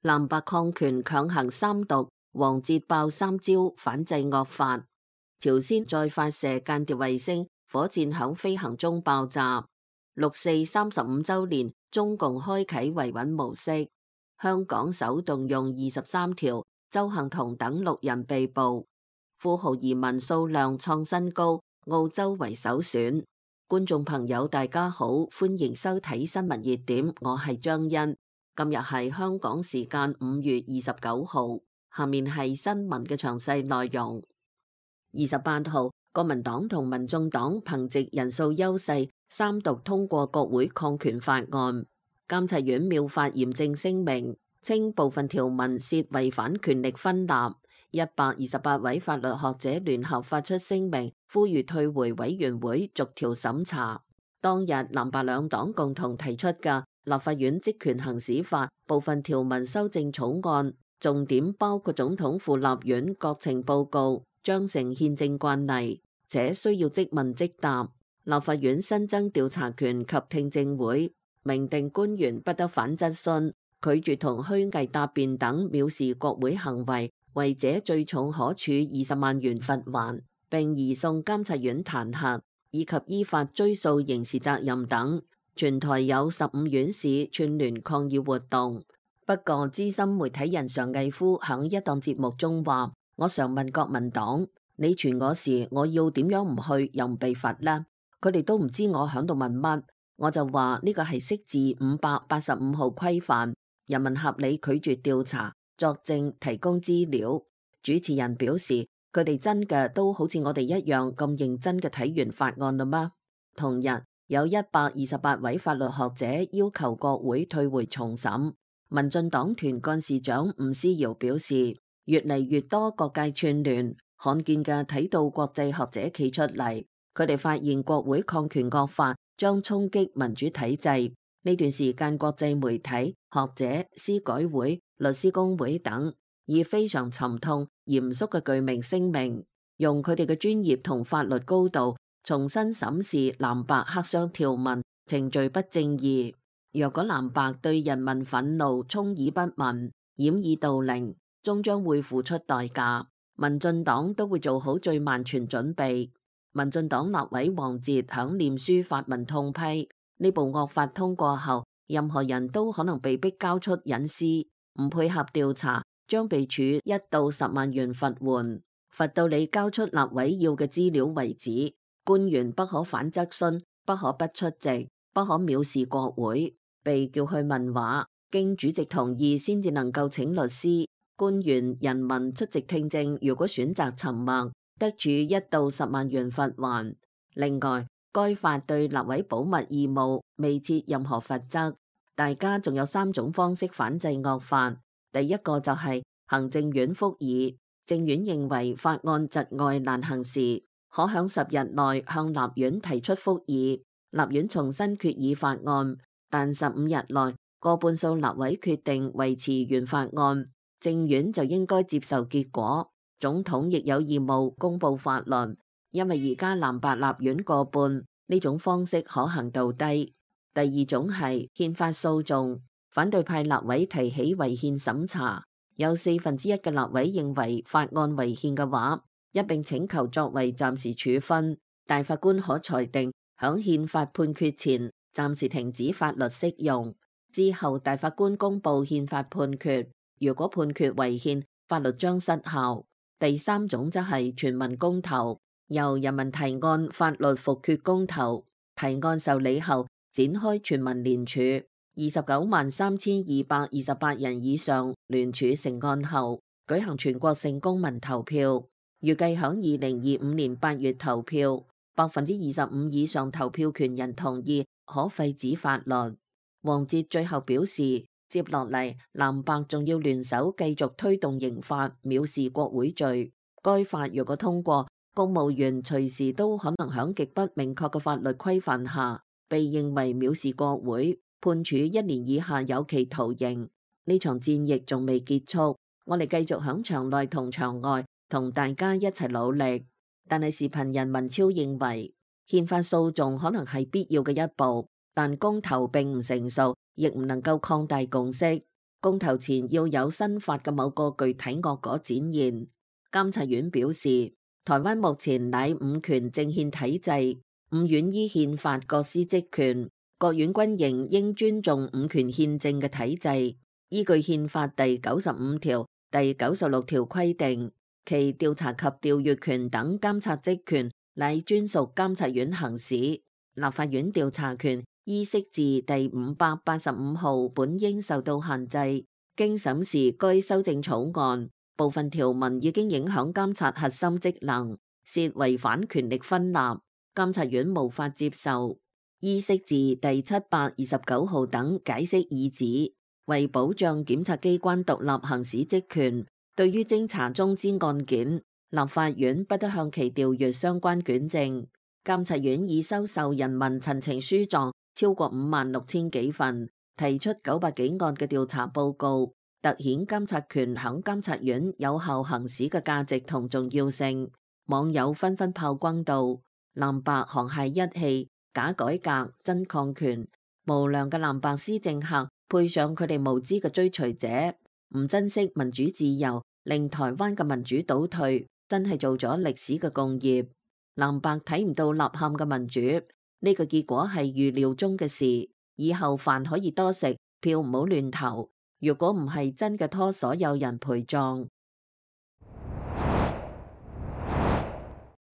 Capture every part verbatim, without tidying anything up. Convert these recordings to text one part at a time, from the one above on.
藍白抗權強行三讀，王捷爆三招反制惡法。朝鮮再發射間諜衛星，火箭響飛行中爆炸。六四三十五週年，中共開啟維穩模式。香港首動用二十三條，鄒幸彤等六人被捕。富豪移民數量創新高，澳洲為首選。觀眾朋友大家好，歡迎收睇新聞熱點，我係張欣。今日係香港時間五月二十九號，下面係新聞嘅詳細內容。二十八號，國民黨同民眾黨憑藉人數優勢，三讀通過國會抗權法案。監察院妙法嚴正聲明，稱部分條文涉違反權力分立。一百二十八位法律學者聯合發出聲明，呼籲退回委員會逐條審查。當日藍白兩黨共同提出嘅立法院職權行使法部分條文修正草案，重點包括總統赴立院國情報告將成憲政慣例，且需要即問即答。立法院新增調查權及聽證會，明定官員不得反質詢、拒絕同虛偽答辯等藐視國會行為，違者最重可處二十萬元罰鍰，並移送監察院彈劾，以及依法追訴刑事責任等。全台有十五縣市串聯抗議活動。不過資深媒體人常毅夫響一檔節目中話：我常問國民黨，你傳我時，我要點樣唔去又唔被罰呢？佢哋都唔知我響度問乜，我就話呢個係釋字五百八十五號規範，人民合理拒絕調查、作證、提供資料。主持人表示，佢哋真嘅都好似我哋一樣咁認真嘅睇完法案啦嗎？同日，有一百二十八位法律學者要求國會退回重審。民進黨團幹事長吳思瑤表示，越嚟越多各界串聯，罕見嘅睇到國際學者企出嚟，佢哋發現國會抗權惡法將衝擊民主體制。呢段時間，國際媒體、學者、司改會、律師公會等以非常沉痛、嚴肅嘅具名聲明，用佢哋嘅專業同法律高度重新審視藍白黑箱條文程序不正義。若果藍白對人民憤怒充耳不聞、掩耳盜鈴，終將會付出代價。民進黨都會做好最萬全準備。民進黨立委王捷響臉書發文痛批，呢部惡法通過後，任何人都可能被逼交出隱私，唔配合調查將被處一到十萬元罰鍰，罰到你交出立委要嘅資料為止。官員不可反質詢，不可不出席，不可藐視國會。被叫去問話，經主席同意先至能夠請律師。官員、人民出席聽證，如果選擇沉默，得處一到十萬元罰鍰。另外，該法對立委保密義務未設任何罰則。大家仲有三種方式反制惡法。第一個就係行政院復議，政院認為法案窒礙難行時，可響十日內向立院提出復議，立院重新決議法案。但十五日內過半數立委決定維持原法案，政院就應該接受結果。總統亦有義務公布法律，因為而家藍白立院過半，呢種方式可行度低。第二種係憲法訴訟，反對派立委提起違憲審查，有四分之一嘅立委認為法案違憲嘅話，一並請求作為暫時處分，大法官可裁定響憲法判決前暫時停止法律適用，之後大法官公布憲法判決，如果判決違憲，法律將失效。第三種則係全民公投，由人民提案法律複決公投，提案受理後展開全民聯署，二十九萬三千二百二十八人以上聯署成案後，舉行全國性公民投票，預計響二零二五年八月投票，百分之二十五以上投票權人同意可廢止法律。王捷最後表示，接落嚟藍白仲要聯手繼續推動刑法藐視國會罪。該法若果通過，公務員隨時都可能響極不明確嘅法律規範下，被認為藐視國會，判處一年以下有期徒刑。呢場戰役仲未結束，我哋繼續響場內同場外同大家一齊努力。但係時評人文超認為，憲法訴訟可能係必要嘅一步，但公投並唔成熟，亦唔能夠擴大共識。公投前要有新法嘅某個具體惡果展現。監察院表示，台灣目前乃五權政憲體制，五院依憲法各司職權，各院軍營應尊重五權憲政嘅體制。依據憲法第九十五條、第九十六條規定，其調查及調閱權等監察職權乃專屬監察院行使。立法院調查權依釋字第五百八十五號本應受到限制。經審視該修正草案，部分條文已經影響監察核心職能，涉違反權力分立，監察院無法接受。依釋字第七百二十九號等解釋已指，為保障檢察機關獨立行使職權，對於偵查中之案件，立法院不得向其調閱相關卷證。監察院已收受人民陳情書狀超過五萬六千幾份，提出九百幾案嘅調查報告，凸顯監察權響監察院有效行使嘅價值同重要性。網友紛紛炮轟道：藍白沆瀣一氣，假改革真抗權。無良嘅藍白施政客配上佢哋無知嘅追隨者，唔珍惜民主自由，令台灣嘅民主倒退，真係做咗歷史嘅共業。藍白睇唔到吶喊嘅民主，呢個結果係預料中嘅事。以後飯可以多食，票唔好亂投。如果唔係真嘅拖所有人陪葬。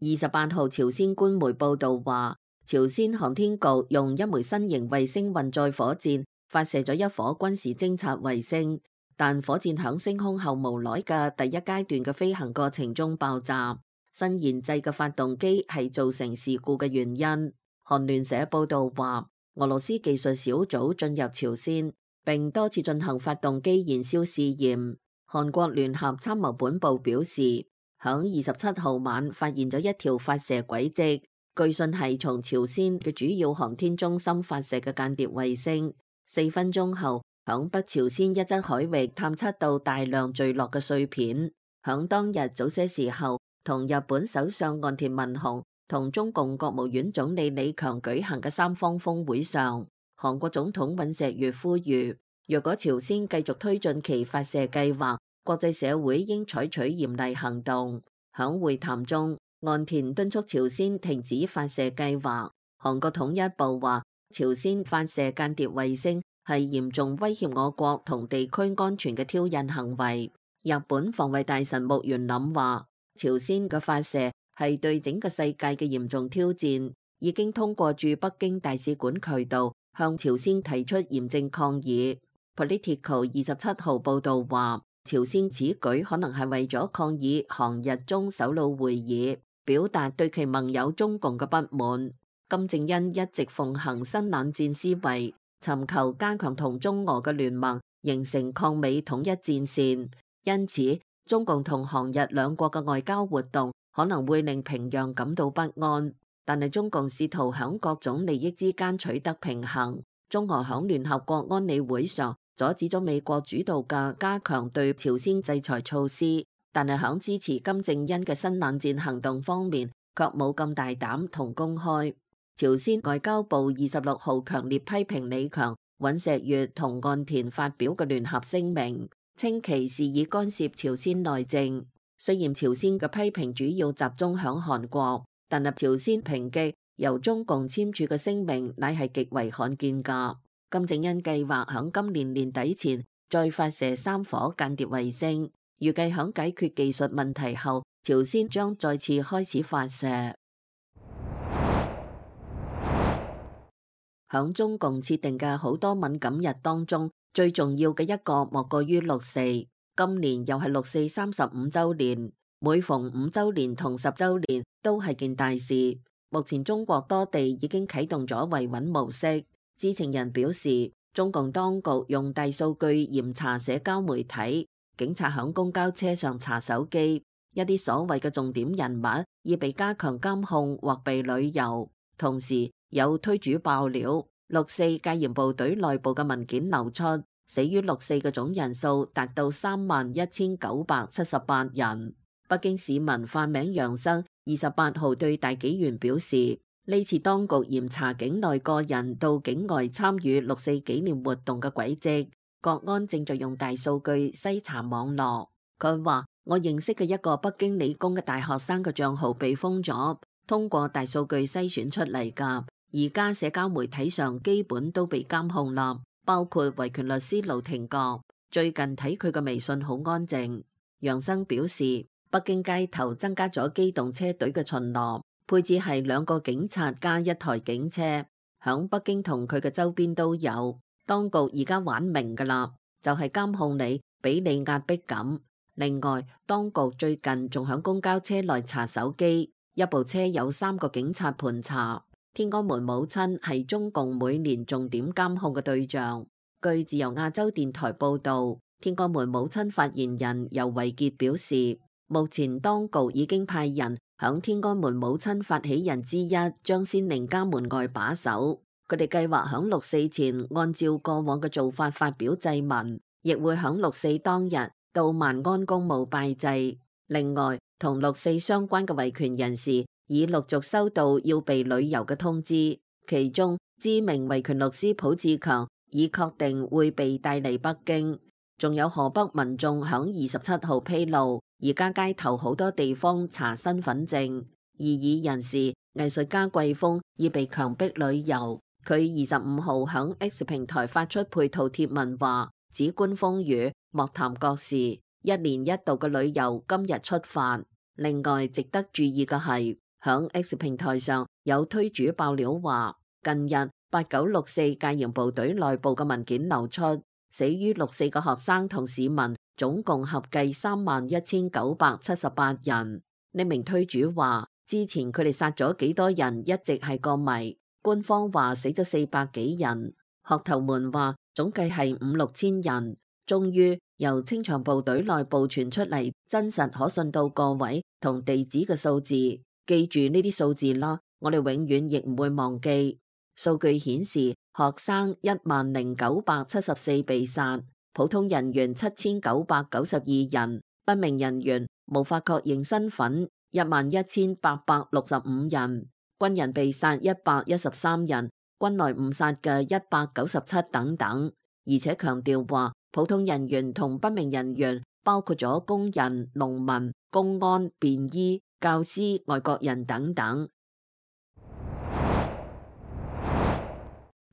二十八號朝鮮官媒報道話，朝鮮航天局用一枚新型衛星運載火箭發射咗一顆軍事偵察衛星，但火箭響升空後無耐嘅第一階段嘅飛行過程中爆炸。新研製嘅發動機係造成事故嘅原因。韓聯社報道話，俄羅斯技術小組進入朝鮮，並多次進行發動機燃燒試驗。韓國聯合參謀本部表示，響二十七號晚發現咗一條發射軌跡，據信係從朝鮮嘅主要航天中心發射嘅間諜衛星。四分鐘後，響北朝鮮一側海域探測到大量墜落嘅碎片。響當日早些時候，同日本首相岸田文雄同中共國務院總理李強舉行嘅三方峰會上，韓國總統尹錫悅呼籲，若果朝鮮繼續推進其發射計劃，國際社會應採取嚴厲行動。響會談中，岸田敦促朝鮮停止發射計劃。韓國統一部話，朝鮮發射間諜衛星係嚴重威脅我國同地區安全嘅挑釁行為。日本防衛大臣木原稔話，朝鮮嘅發射係對整個世界嘅嚴重挑戰，已經通過駐北京大使館渠道向朝鮮提出嚴正抗議。Politico 二十七號報道話，朝鮮此舉可能係為咗抗議韓日中首腦會議，表達對其盟友中共嘅不滿。金正恩一直奉行新冷戰思維，尋求加強同中俄嘅聯盟，形成抗美統一戰線。因此，中共同韓日兩國嘅外交活動可能會令平壤感到不安，但係中共試圖響各種利益之間取得平衡。中俄響聯合國安理會上阻止咗美國主導嘅加強對朝鮮制裁措施，但係響支持金正恩嘅新冷戰行動方面卻冇咁大膽同公開。朝鮮外交部二十六號強烈批評李強、尹錫悅同岸田發表嘅聯合聲明，稱其是以干涉朝鮮內政。雖然朝鮮嘅批評主要集中響韓國，但係朝鮮抨擊由中共簽署嘅聲明乃係極為罕見㗎。金正恩計劃響今年年底前再發射三顆間諜衛星，預計響解決技術問題後，朝鮮將再次開始發射。響中共設定嘅好多敏感日當中，最重要嘅一個莫過於六四。今年又係六四三十五週年，每逢五週年同十週年都係件大事。目前中國多地已經啟動咗維穩模式。知情人表示，中共當局用大數據嚴查社交媒體，警察響公交車上查手機，一啲所謂嘅重點人物已被加強監控或被旅遊。同時有推主爆料，六四戒嚴部隊內部嘅文件流出，死於六四嘅總人數達到三萬一千九百七十八人。北京市民化名楊生二十八號對大紀元表示，呢次當局嚴查境內個人到境外參與六四紀念活動嘅軌跡，國安正在用大數據篩查網絡。佢話：我認識嘅一個北京理工嘅大學生嘅賬號被封咗，通過大數據篩選出嚟㗎。而家社交媒體上基本都被監控啦，包括維權律師盧廷國。最近睇佢嘅微信好安靜。楊生表示，北京街頭增加咗機動車隊嘅巡邏，配置係兩個警察加一台警車，響北京同佢嘅周邊都有。當局而家玩明㗎啦，就係監控你，俾你壓迫感。另外，當局最近仲響公交車內查手機，一部車有三個警察盤查。天安門母親係中共每年重點監控嘅對象。據自由亞洲電台報道，天安門母親發言人尤維潔表示，目前當局已經派人響天安門母親發起人之一張先寧家門外把守。佢哋計劃響六四前按照過往嘅做法發表祭文，亦會響六四當日到萬安公墓拜祭。另外，同六四相關嘅維權人士已陸續收到要被旅遊嘅通知，其中知名維權律師浦志強已確定會被帶嚟北京。仲有河北民眾響二十七號披露，而家街頭好多地方查身份證。異議人士藝術家季風已被強迫旅遊。佢二十五號響 X 平台發出配套貼文話：只觀風雨，莫談國事。一年一度嘅旅遊今日出發。另外值得注意嘅係，響 X 平台上有推主爆料話，近日八九六四戒嚴部隊內部嘅文件流出，死於六四嘅學生同市民總共合計三萬一千九百七十八人。呢名推主話，之前佢哋殺咗幾多人一直係個謎。官方話死咗四百幾人，學頭們話總計係五六千人。終於由清場部隊內部傳出嚟真實可信到個位同地址嘅數字，記住呢啲數字啦，我哋永遠亦唔會忘記。數據顯示，學生一萬零九百七十四被殺，普通人員七千九百九十二人，不明人員無法確認身份一萬一千八百六十五人。軍人被殺一百一十三人，軍內誤殺嘅一百九十七等等，而且強調話普通人員同不明人員包括咗工人、農民、公安、便衣、教師、外國人等等。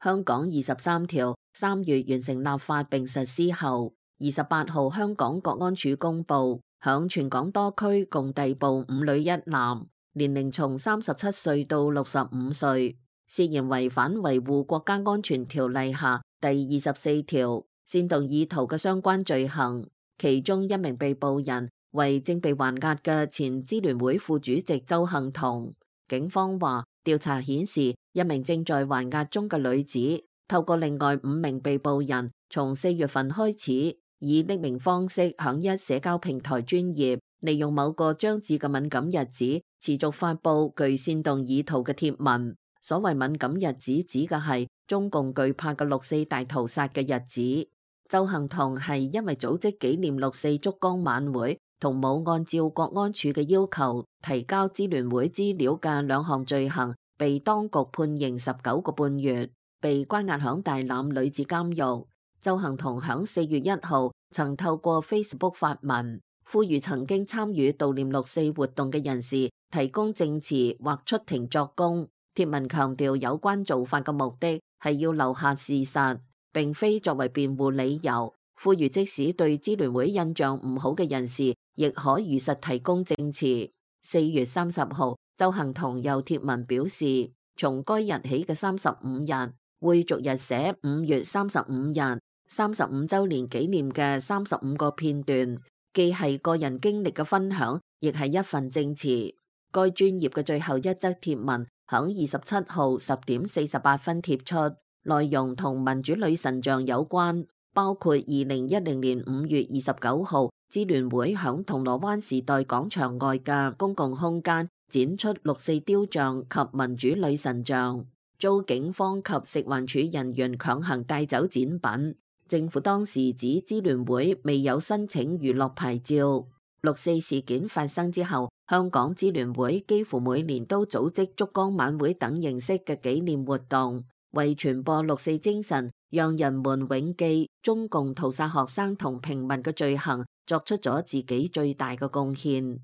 香港二十三條三月完成立法並實施後，二十八號香港國安處公布，響全港多區共逮捕五女一男。年齡從三十七歲到六十五歲，涉嫌違反維護國家安全條例下第二十四條煽動意圖嘅相關罪行。其中一名被捕人為正被還押嘅前支聯會副主席鄒幸彤。警方話，調查顯示一名正在還押中嘅女子透過另外五名被捕人，從四月份開始以匿名方式響一社交平台專頁，利用某個將至嘅敏感日子，持續發佈具煽動意圖嘅貼文。所謂敏感日子指嘅係中共懼怕嘅六四大屠殺嘅日子。鄒幸彤係因為組織紀念六四燭光晚會同冇按照國安處嘅要求提交支聯會資料嘅兩項罪行，被當局判刑十九個半月，被關押響大欖女子監獄。鄒幸彤響四月一號曾透過 Facebook 發文，呼籲曾經參與悼念六四活動嘅人士提供證詞或出庭作供。貼文強調有關做法嘅目的係要留下事實，並非作為辯護理由。呼籲即使對支聯會印象唔好嘅人士，亦可如實提供證詞。四月三十號，鄒幸彤又貼文表示，從該日起嘅三十五日會逐日寫五月三十五日三十五週年紀念嘅三十五個片段，既係個人經歷嘅分享，亦係一份證詞。該專頁嘅最後一則貼文響二十七號十點四十八分貼出，內容同民主女神像有關，包括二零一零年五月二十九號支聯會響銅鑼灣時代廣場外嘅公共空間展出六四雕像及民主女神像，遭警方及食環署人員強行帶走展品。政府當時指支聯會未有申請娛樂牌照。六四事件發生之後，香港支聯會幾乎每年都組織燭光晚會等形式嘅紀念活動。為傳播六四精神，讓人們永記中共屠殺學生同平民嘅罪行，作出咗自己最大嘅貢獻。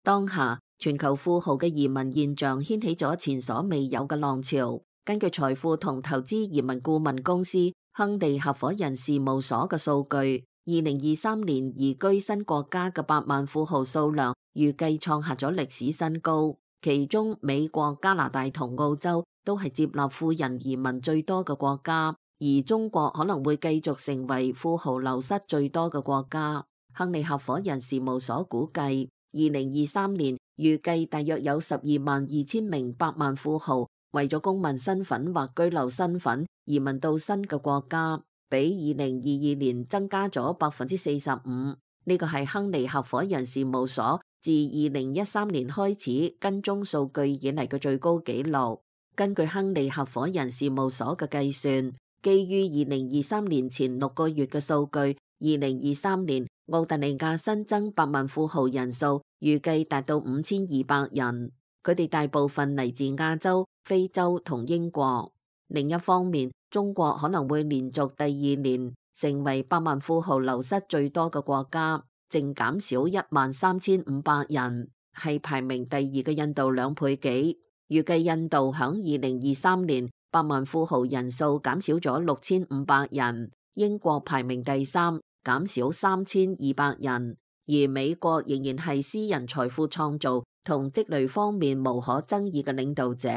當下，全球富豪嘅移民現象掀起咗前所未有嘅浪潮。根據財富同投資移民顧問公司亨利合夥人事務所嘅數據，二零二三年移居新國家嘅百萬富豪數量預計創下咗歷史新高。其中，美國、加拿大同澳洲都係接納富人移民最多嘅國家，而中國可能會繼續成為富豪流失最多嘅國家。亨利合夥人事務所估計，二零二三年預計大約有十二萬二千名百萬富豪為咗公民身份或居留身份移民到新嘅國家，比二零二二年增加咗百分之四十五。呢個係亨利合夥人事務所自二零一三年開始跟蹤數據以嚟嘅最高紀錄。根據亨利合夥人事務所嘅計算，基於二零二三年前六個月嘅數據，二零二三年澳大利亞新增百萬富豪人數預計達到五千二百人，佢哋大部分嚟自亞洲、非洲同英國。另一方面，中國可能會連續第二年成為百萬富豪流失最多嘅國家，淨減少一萬三千五百人，係排名第二嘅印度兩倍幾。預計印度響二零二三年百萬富豪人數減少咗六千五百人，英國排名第三，減少三千二百人，而美國仍然係私人財富創造同積累方面無可爭議嘅領導者，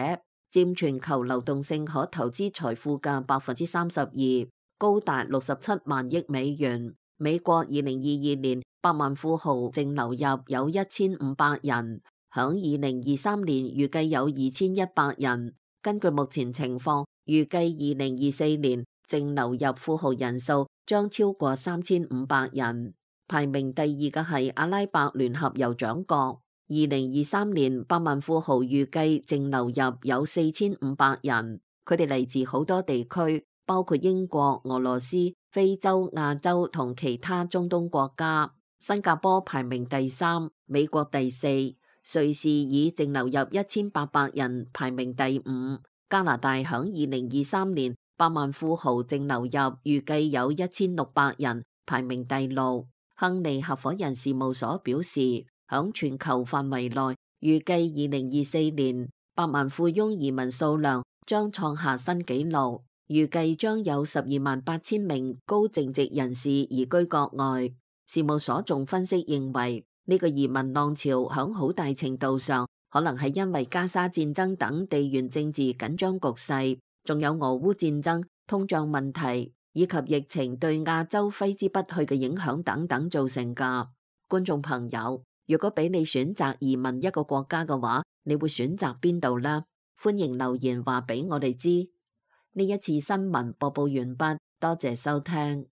佔全球流動性可投資財富嘅百分之三十二，高達六十七萬億美元。美國二零二二年百萬富豪淨流入有一千五百人，響二零二三年預計有二千一百人。根據目前情況，預計二零二四年淨流入富豪人數將超過三千五百人。排名第二嘅係阿拉伯聯合酋長國，二零二三年百萬富豪預計淨流入有四千五百人，佢哋嚟自好多地區，包括英國、俄羅斯、非洲、亞洲同其他中東國家。新加坡排名第三，美國第四，瑞士以淨流入一千八百人排名第五。加拿大響二零二三年百萬富豪淨流入預計有一千六百人，排名第六。亨利合夥人事務所表示，響全球範圍內，預計二零二四年百萬富翁移民數量將創下新紀錄，預計將有十二萬八千名高淨值人士移居國外。事務所仲分析認為，呢個移民浪潮響好大程度上可能係因為加沙戰爭等地緣政治緊張局勢，仲有俄烏戰爭、通脹問題以及疫情對亞洲揮之不去嘅影響等等造成㗎。觀眾朋友，如果俾你選擇移民一個國家嘅話，你會選擇邊度呢？歡迎留言話俾我哋知。呢一次新聞播報完畢，多謝收聽。